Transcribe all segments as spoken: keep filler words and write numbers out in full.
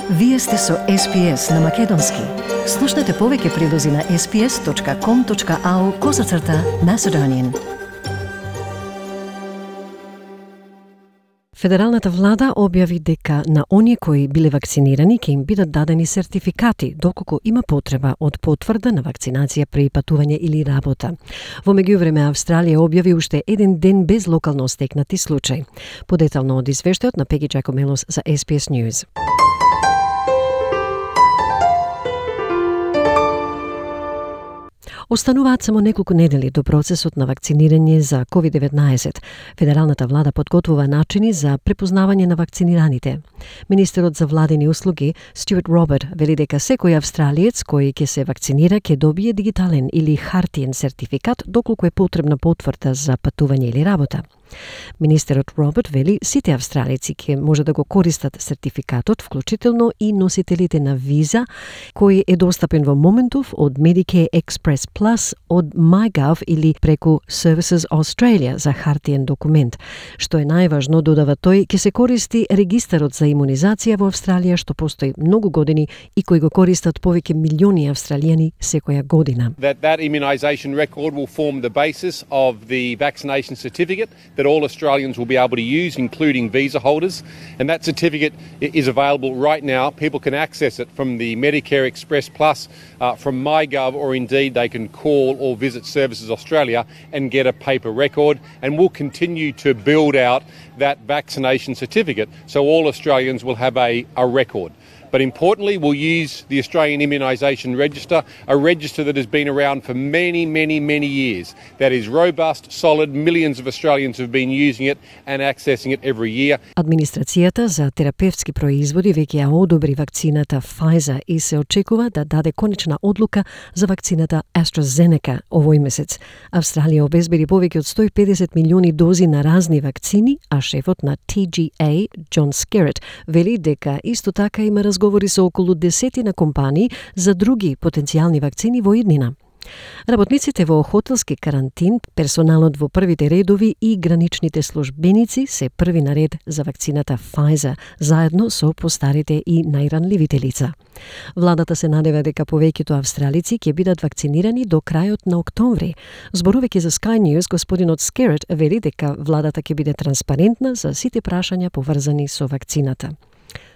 Вие сте со Ес Пи Ес на Македонски. Слушнете повеќе прилози на ес пи ес точка ком точка ау козацрта Macedonian. Федералната влада објави дека на оние кои биле вакцинирани ќе им бидат дадени сертификати доколку има потреба од потврда на вакцинација при патување или работа. Во меѓувреме Австралија објави уште еден ден без локално стекнати случај. Подетално од извештајот на Пеги Джакомелос за Ес Пи Ес News. Остануваат само неколку недели до процесот на вакцинирање за ковид деветнаесет. Федералната влада подготвува начини за препознавање на вакцинираните. Министерот за владени услуги Стюарт Роберт вели дека секој австралиец кој ќе се вакцинира ќе добие дигитален или хартиен сертификат доколку е потребна потврда за патување или работа. Министерот Роберт вели сите австралици ќе може да го користат сертификатот, вклучително и носителите на виза, кој е достапен во моментов од Medicare Express Plus, од MyGov или преку Services Australia за хартиен документ. Што е најважно, додава тој, ќе се користи регистарот за имунизација во Австралија, што постои многу години и кој го користат повеќе милиони австралијани секоја година. That that immunisation record will form the basis of the vaccination certificate that all Australians will be able to use, including visa holders. And that certificate is available right now. People can access it from the Medicare Express Plus, uh, from MyGov, or indeed they can call or visit Services Australia and get a paper record. And we'll continue to build out that vaccination certificate so all Australians will have a, a record. But importantly, we'll use the Australian Immunisation Register, a register that has been around for many, many, many years. That is robust, solid, millions of Australians have been using it and accessing it every year. Администрацијата за терапевтски производи веќе ја одобри вакцината Pfizer и се очекува да даде конечна одлука за вакцината AstraZeneca овој месец. Австралија обезбеди повеќе од сто и педесет милиони дози на разни вакцини, а шефот на Ти Джи Ей, Џон Скерет, вели дека исто така има разговори со околу десетина компании за други потенцијални вакцини во иднина. Работниците во хотелски карантин, персоналот во првите редови и граничните службеници се први на ред за вакцината Pfizer, заедно со постарите и најранливите лица. Владата се надева дека повеќето австралици ќе бидат вакцинирани до крајот на октомври. Зборувајќи за Sky News, господинот Скерет вели дека владата ќе биде транспарентна за сите прашања поврзани со вакцината.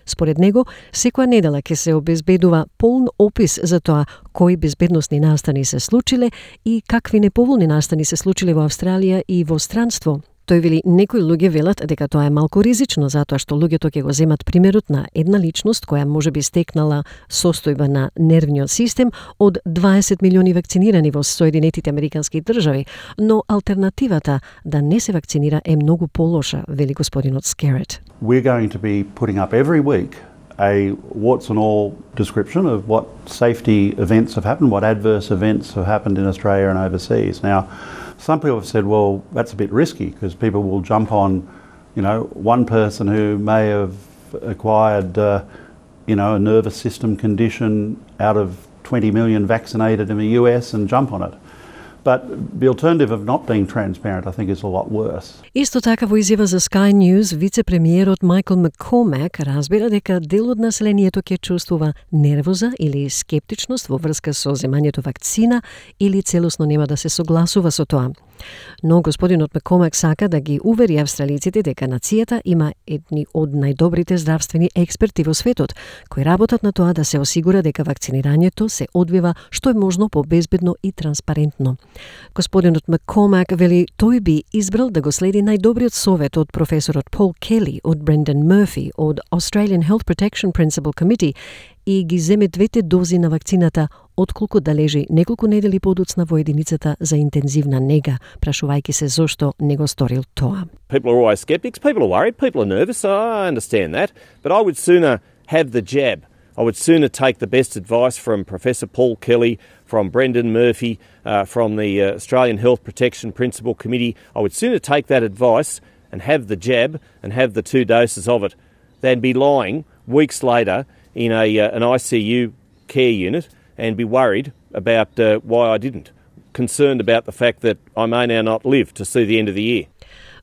Според него, секоја недела ќе се обезбедува полн опис за тоа кои безбедносни настани се случиле и какви неповолни настани се случиле во Австралија и во странство. Тој вели некои луѓе велат дека тоа е малку ризично затоа што луѓето ќе го земат примерот на една личност која можеби стекнала состојба на нервниот систем од дваесет милиони вакцинирани во Соединетите Американски држави, но алтернативата да не се вакцинира е многу полоша, вели господинот Скерет. We're going to be putting up every week a warts and all description of what safety events have happened, what adverse events have happened in Australia and overseas. Now, some people have said, well, that's a bit risky because people will jump on, you know, one person who may have acquired, uh, you know, a nervous system condition out of twenty million vaccinated in the U S and jump on it. But the alternative of not being transparent, I think, is a lot worse. Исто така во изјава за Sky News, вице-премиерот Майкл Маккормак разбира дека дел од населението ќе чувствува нервоза или скептичност во врска со земањето вакцина или целосно нема да се согласува со тоа. Но господинот Маккормак сака да ги увери австралиците дека нацијата има едни од најдобрите здравствени експерти во светот, кои работат на тоа да се осигура дека вакцинирањето се одвива што е можно побезбедно и транспарентно. Господинот Маккормак вели тој би избрал да го следи најдобриот совет од професорот Пол Кели, од Брендан Мерфи, од Australian Health Protection Principal Committee и ги земе двете дози на вакцината отколку да лежи неколку недели подоцна во единицата за интензивна нега, прашувајќи се зошто не го сторил тоа. People are always skeptics, people are worried, people are nervous, I understand that, but I would sooner have the jab. I would sooner take the best advice from Professor Paul Kelly, from Brendan Murphy, uh, from the uh, Australian Health Protection Principal Committee. I would sooner take that advice and have the jab and have the two doses of it than be lying weeks later in a uh, an I C U care unit and be worried about uh, why I didn't, concerned about the fact that I may now not live to see the end of the year.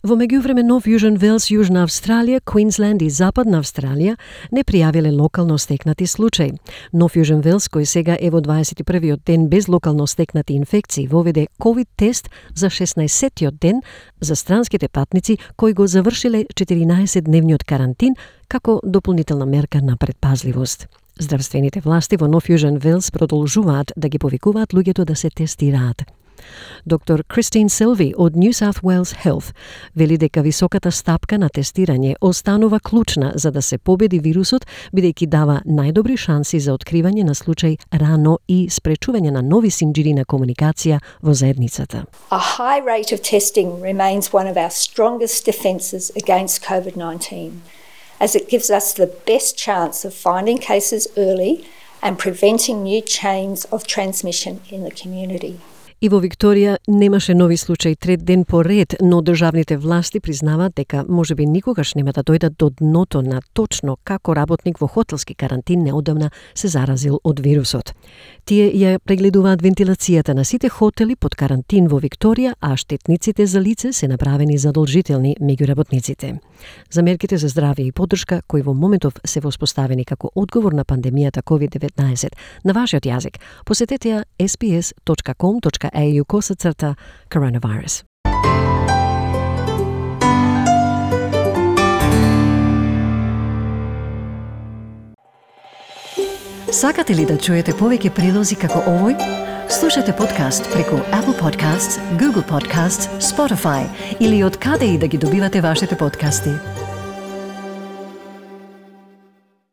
Во меѓувреме Нов Јужен Велс, Јужна Австралија, Квинсленд и Западна Австралија не пријавиле локално стекнати случаи. Нов Јужен Велс, кој сега е во дваесет и првиот ден без локално стекнати инфекции, воведе ковид тест за шеснаесеттиот ден за странските патници кои го завршиле четиринаесетдневниот карантин како дополнителна мерка на предпазливост. Здравствените власти во Нов Јужен Велс продолжуваат да ги повикуваат луѓето да се тестираат. Доктор Кристин Силви од New South Wales Health вели дека високата стапка на тестирање останува клучна за да се победи вирусот, бидејќи дава најдобри шанси за откривање на случај рано и спречување на нови синџири на комуникација во заедницата. A high rate of testing remains one of our strongest defences against COVID nineteen, as it gives us the best chance of finding cases early and preventing new chains of transmission in the community. И во Викторија немаше нови случаи трет ден по ред, но државните власти признаваат дека можеби никогаш нема да дојдат до дното на точно како работник во хотелски карантин неодамна се заразил од вирусот. Тие ја прегледуваат вентилацијата на сите хотели под карантин во Викторија, а штетниците за лице се направени задолжителни меѓу работниците. За мерките за здравје и поддршка, кои во моментов се воспоставени како одговор на пандемијата ковид деветнаесет на вашиот јазик, посетете ја ес би ес точка ком точка ей ю косацрта коронавирус. Сакате ли да чуете повеќе прилози како овој? Слушате подкаст преку Apple Podcasts, Google Podcasts, Spotify или од каде и да ги добивате вашите подкасти.